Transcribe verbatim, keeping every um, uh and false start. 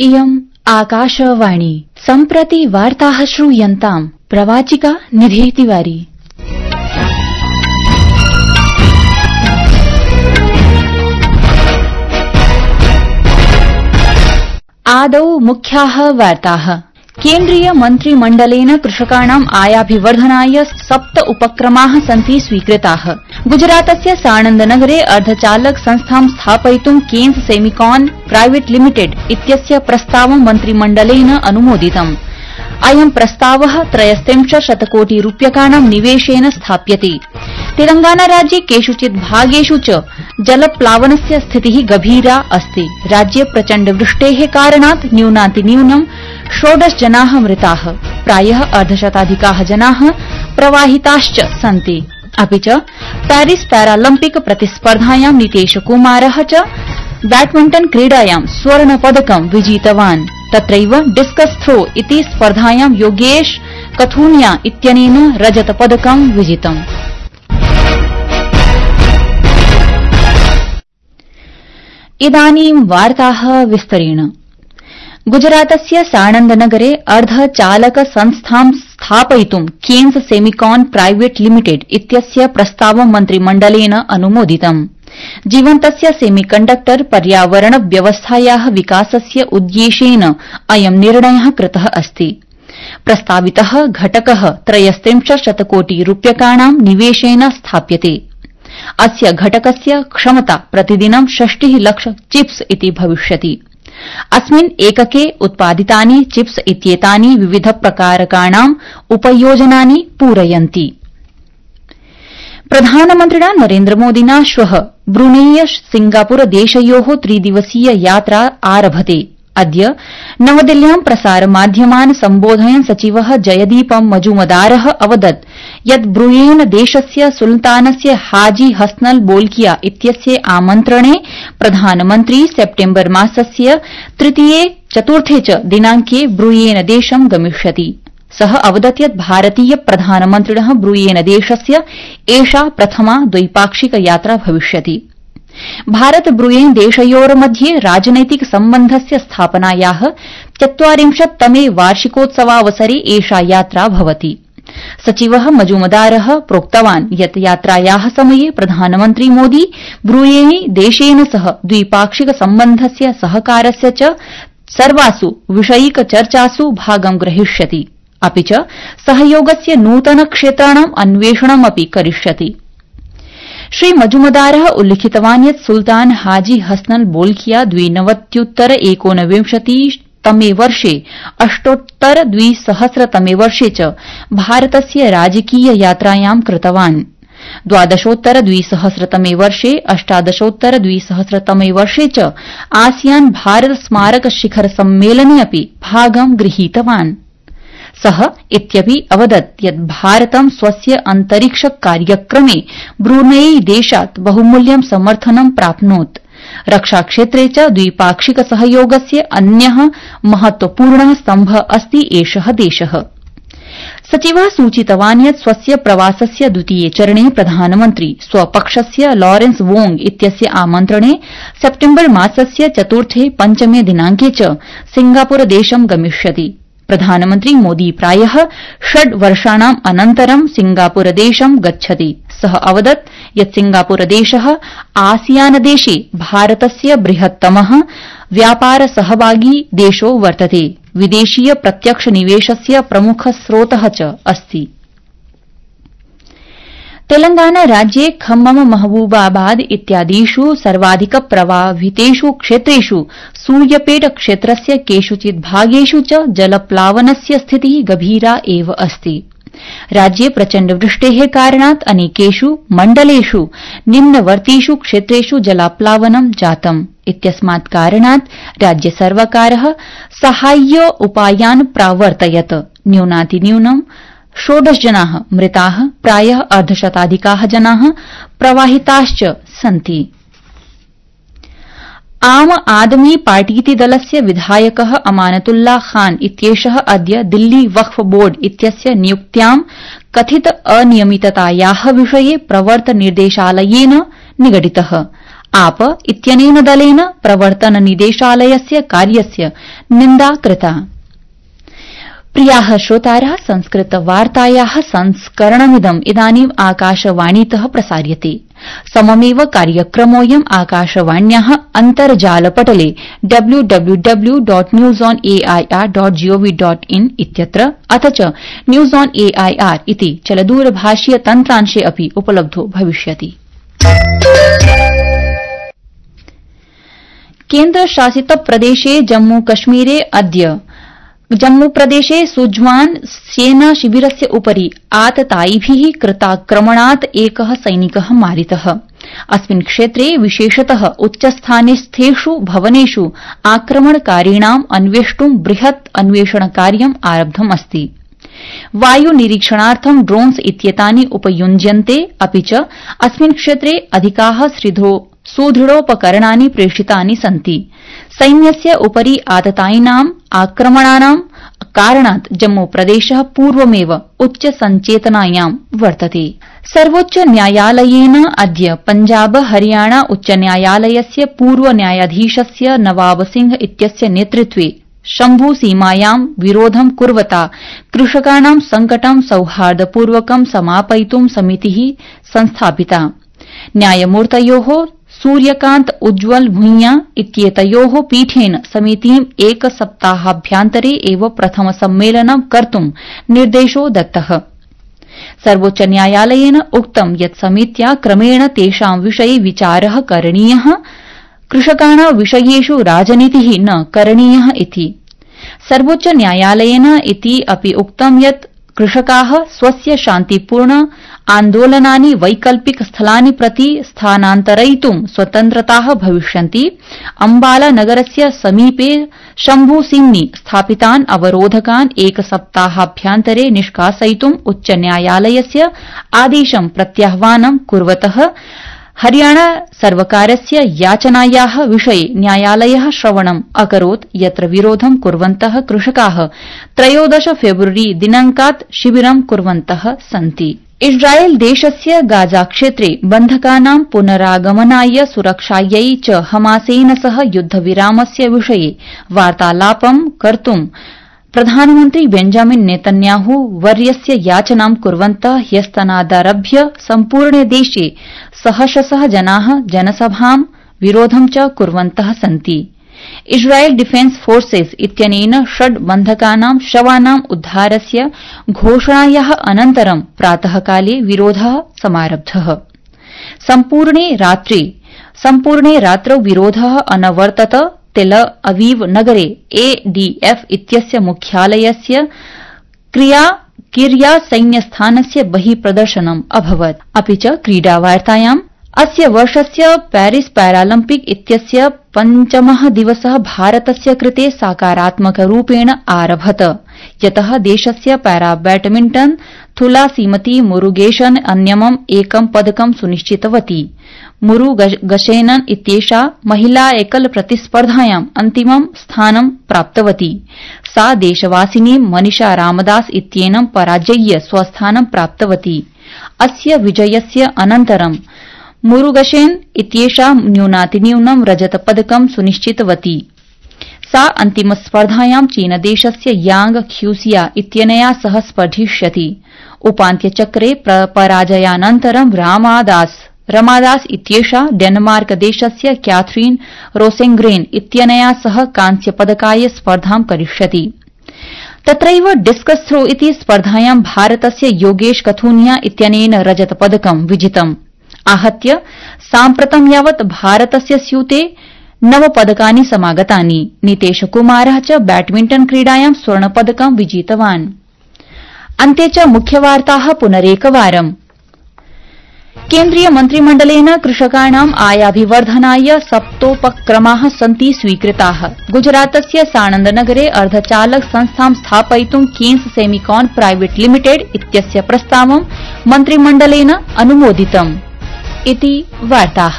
इयम् आकाशवाणी सम्प्रति वार्ताः श्रूयन्ताम् प्रवाचिका निधि तिवारी। आदौ मुख्याः वार्ताः। केन्द्रीय मन्त्रिमण्डलेन कृषकाणाम् आयाभिवर्धनाय सप्त उपक्रमाः सन्ति स्वीकृताः। गुजरातस्य साणन्दनगरे अर्धचालक संस्थां स्थापयितुं केन्स सेमिकॉन प्राइवेट लिमिटेड इत्यस्य प्रस्तावं मन्त्रिमण्डलेन अनुमोदितम्। अयं प्रस्तावः त्रयस्त्रिंशत् शतकोटि रूप्यकाणां निवेशेन स्थाप्यते। तेलंगाना राज्ये केषुचित् भागेषु च जलप्लावनस्य स्थितिः गभीरा अस्ति। राज्ये प्रचण्डवृष्टेः कारणात् न्यूनातिन्यूनं षोडश जनाः मृताः, प्रायः अर्धशताधिकाः जनाः प्रवाहिताश्च सन्ति। अपि च पेरिस पैरालम्पिक प्रतिस्पर्धायां नीतेश कुमारः च बैडमिंटन क्रीडायां स्वर्णपदकं विजितवान्। तत्रैव डिस्कस थ्रो इति स्पर्धायां योगेश कथुनिया इत्यनेन रजतपदकं विजितम्। इदानीं वार्ताः विस्तरेण। गुजरातस्य साणन्दनगरे अर्धचालक संस्थां स्थापयितुं केन्स सेमिकॉन प्राइवेट लिमिटेड इत्यस्य प्रस्तावं मन्त्रिमण्डलेन अनुमोदितम्। जीवन्तस्य सेमीकण्डक्टर पर्यावरण व्यवस्थायाः विकासस्य उद्देश्येन अयं निर्णयः कृतः अस्ति। प्रस्तावितः घटकः त्रयस्त्रिंशत् शतकोटि रूप्यकाणां निवेशेन स्थाप्यते। अस्य घटकस्य क्षमता प्रतिदिनं षष्टिः लक्ष चिप्स इति भविष्यति। अस्मिन् एकके उत्पादितानि चिप्स इत्येतानि विविध प्रकारकाणाम् उपयोजनानि पूरयन्ति। प्रधानमन्त्रिणा नरेन्द्रमोदिना श्वः ब्रूनेय सिंगापुर देशयोः त्रिदिवसीय यात्रा आरभते। अद्य नवदिल्ल्यां प्रसारमाध्यमान् सम्बोधयन् सचिवः जयदीप मजुमदारः अवदत् यत् ब्रूनेन देशस्य सुल्तानस्य हाजी हसनल बोल्किया इत्यस्य आमन्त्रणे प्रधानमन्त्री सेप्टेम्बर मासस्य तृतीये चतुर्थे च दिनांके ब्रूनेन देशं गमिष्यति। सः अवदत् यत् भारतीय प्रधानमन्त्रिणः ब्रूनेन देशस्य एषा प्रथमा द्वैपाक्षिक यात्रा भविष्यति। भारत ब्रूनेन देशयोर्मध्ये राजनैतिक सम्बन्धस्य स्थापनायाः चत्वारिंशत्तमे वार्षिकोत्सवावसरे एषा यात्रा भवति। सचिवः मजुमदारः प्रोक्तवान् यत् यात्रायाः समये प्रधानमन्त्री मोदी ब्रूनेन देशेन सह द्विपाक्षिक सम्बन्धस्य सहकारस्य च सर्वासु विषयिक चर्चासु भागं ग्रहीष्यति। अपि च सहयोगस्य नूतन क्षेत्राणाम् अन्वेषणमपि करिष्यति। श्री मजुमदारः उल्लिखितवान् यत् सुल्तान हाजी हसनल बोल्किया द्विनवत्युत्तर एकोनविंशतितमे वर्षे अष्टोत्तर द्विसहस्रतमे वर्षे च भारतस्य राजकीय यात्रायां कृतवान्। द्वादशोत्तर द्विसहस्रतमे वर्षे अष्टादशोत्तर द्विसहस्रतमे वर्षे च आसियान भारत स्मारक शिखर सम्मेलने अपि भागं गृहीतवान्। सः इत्यपि अवदत् यत् भारतं स्वस्य अन्तरिक्ष कार्यक्रमे ब्रूनेई देशात् बहुमूल्यं समर्थनं प्राप्नोत्। रक्षाक्षेत्रे च द्विपाक्षिक सहयोगस्य अन्यः महत्वपूर्णः स्तम्भः अस्ति एषः देशः। सचिवः सूचितवान् यत् स्वस्य प्रवासस्य द्वितीये चरणे प्रधानमन्त्री स्वपक्षस्य लॉरेंस वोंग इत्यस्य आमन्त्रणे सेप्टेम्बर मासस्य चतुर्थे पञ्चमे दिनांके च सिंगापुर देशं गमिष्यति। प्रधानमन्त्री मोदी प्रायः षड् वर्षाणाम् अनन्तरं सिंगापुर देशं गच्छति। सः अवदत् यत् सिंगापुर देशः आसियान देशे भारतस्य बृहत्तमः व्यापार सहभागी देशो वर्तते। विदेशीय प्रत्यक्ष निवेशस्य प्रमुख स्रोतः च अस्ति। तेलंगाना राज्ये खम्मम महबूबाबाद इत्यादिषु सर्वाधिक प्रभावितेषु क्षेत्रेषु सूर्यपेट क्षेत्रस्य केषुचित् भागेषु च जलप्लावनस्य स्थितिः गभीरा एव अस्ति। राज्ये प्रचण्डवृष्टेः कारणात् अनेकेषु मण्डलेषु निम्नवर्तीषु क्षेत्रेषु जलाप्लावनं जातम्। इत्यस्मात् कारणात् राज्यसर्वकारः साहाय्य उपायान् प्रावर्तयत्। न्यूनातिन्यूनं षोडश जनाः मृताः, प्रायः अर्धशताधिकाः जनाः प्रवाहिताश्च सन्ति। आम आदमी पार्टीति दलस्य विधायकः अमानतुल्ला खान इत्येषः अद्य दिल्ली वक्फ बोर्ड इत्यस्य नियुक्त्यां कथित अनियमिततायाः विषये प्रवर्तन निर्देशालयेन निगडितः। आप इत्यनेन दलेन प्रवर्तन निदेशालयस्य कार्यस्य निन्दा कृता। प्रियाः श्रोतारः, संस्कृतवार्तायाः संस्करणमिदम् इदानीम् आकाशवाणीतः प्रसार्यते। सममेव कार्यक्रमोऽयम् आकाशवाण्याः अन्तर्जालपटले W W W dot news on A I R dot G O V dot in इत्यत्र अथ च news on A I R इति चलदूरभाषीय तन्त्रांशे अपि उपलब्धो भविष्यति। केन्द्रशासित प्रदेशे जम्मू कश्मीरे अद्य जम्मूप्रदेशे सुज्वान सेना शिविरस्य उपरि आततायिभिः कृताक्रमणात् एकः सैनिकः मारितः। अस्मिन् क्षेत्रे विशेषतः उच्चस्थानस्थेषु भवनेषु आक्रमणकारिणाम् अन्वेष्टुं बृहत् अन्वेषणकार्यम् आरब्धम् अस्ति। वायुनिरीक्षणार्थं ड्रोन्स इत्येतानि उपयुज्यन्ते, अपि च अस्मिन् क्षेत्रे अधिकाः सुदृढोपकरणानि प्रेषितानि सन्ति। सैन्यस्य उपरि आततायिनाम् आक्रमणानां कारणात् जम्मूप्रदेशः पूर्वमेव उच्चसंचेतनायां वर्तते। सर्वोच्च न्यायालयेन अद्य पञ्जाब हरियाणा उच्चन्यायालयस्य पूर्वन्यायाधीशस्य नवाब सिंह इत्यस्य नेतृत्वे शम्भुसीमायां विरोधं कुर्वता कृषकाणां संकटं सौहार्दपूर्वकं समापयितुं समितिः संस्थापिता। न्यायमूर्तयोः सूर्यकान्त उज्ज्वल भूंया इत्येतयोः पीठेन समितिम् एकसप्ताहाभ्यन्तरे एव प्रथम सम्मेलनं कर्तुं निर्देशो दत्तः। सर्वोच्च न्यायालयेन उक्तं यत् समित्या क्रमेण तेषां विषये विचारः करणीयः, कृषकाणां विषयेषु राजनीतिः न करणीयः इति। सर्वोच्च न्यायालयेन इति अपि उक्तं यत् कृषकाः स्वस्य शान्तिपूर्ण आन्दोलनानि वैकल्पिक स्थलानि प्रति स्थानान्तरयितुं स्वतन्त्रताः भविष्यन्ति। अम्बाला नगरस्य समीपे शम्भुसिंहनि स्थापितान् अवरोधकान् एकसप्ताहाभ्यन्तरे निष्कासयितुं उच्चन्यायालयस्य आदेशं प्रत्याह्वानं कुर्वतः हरियाणा सर्वकारस्य याचनायाः विषये न्यायालयः श्रवणम् अकरोत्, यत्र विरोधं कुर्वन्तः कृषकाः त्रयोदश फेब्रुअरी दिनाङ्कात् शिबिरं कुर्वन्तः सन्ति। इस्राएल देशस्य गाजा क्षेत्रे बन्धकानां पुनरागमनाय सुरक्षायै च हमासेन सह युद्धविरामस्य विषये वार्तालापं कर्तुं प्रधानमन्त्री बेंजामिन नेतन्याहू वर्यस्य याचनां कुर्वन्तः ह्यस्तनादारभ्य सम्पूर्णे देशे सहस्रशः जनाः जनसभां विरोधं च कुर्वन्तः सन्ति। इस्राएल डिफेन्स फोर्सेस् इत्यनेन षड् बन्धकानां शवानां उद्धारस्य घोषणायाः अनन्तरं प्रातःकाले विरोधः समारब्धः। सम्पूर्णे रात्रे सम्पूर्णे रात्रौ विरोधः अनवर्तत। तेल अवीव नगरे एडीएफ इत्यस्य मुख्यालयस्य क्रिया किर्या सैन्यस्थानस्य बहिः प्रदर्शनम् अभवत्। अपि च क्रीडावार्तायाम् अस्य वर्षस्य पेरिस पैरालम्पिक इत्यस्य पञ्चमः दिवसः भारतस्य कृते सकारात्मकरूपेण आरभत, यतः देशस्य पैरा बैडमिण्टन थुलासीमती मुरुगेशन अन्यमम् एकं पदकं सुनिश्चितवती। मुरुगशेनन इत्येषा महिला एकल प्रतिस्पर्धायाम् अन्तिमं स्थानं प्राप्तवती। सा देशवासिनी मनीषा रामदास इत्येनं पराजय्य स्वस्थानं प्राप्तवती। अस्य विजयस्य अनन्तरं मुरुगशेन इत्येषा न्यूनातिन्यूनं रजतपदकं सुनिश्चितवती। सा अन्तिमस्पर्धायां चीनदेशस्य यांग ख्यूसिया इत्यनया सह स्पर्धिष्यति। उपान्त्यचक्रे पराजयानन्तरं रामादास रमादास इत्येषा डेनमार्क देशस्य कैथरीन रोसेंग्रेन इत्यनया सह कांस्यपदकाय स्पर्धां करिष्यति। तत्रैव डिस्कस थ्रो इति स्पर्धायां भारतस्य योगेश कथुनिया इत्यनेन रजतपदकं विजितम्। आहत्य साम्प्रतं यावत् भारतस्य स्यूते नव पदकानि समागतानि। नीतेश कुमारः च बैडमिण्टन क्रीडायां स्वर्णपदकं विजितवान्। अन्ते च मुख्यवार्ताः पुनरेकवारम्। केन्द्रीय मन्त्रिमण्डलेन कृषकाणाम् आयाभिवर्धनाय सप्तोपक्रमाः सन्ति स्वीकृताः। गुजरातस्य साणन्दनगरे अर्धचालक संस्थां स्थापयितुं केन्स सेमिकॉन प्राइवेट लिमिटेड इत्यस्य प्रस्तावं मन्त्रिमण्डलेन अनुमोदितम्। इति वार्ताः।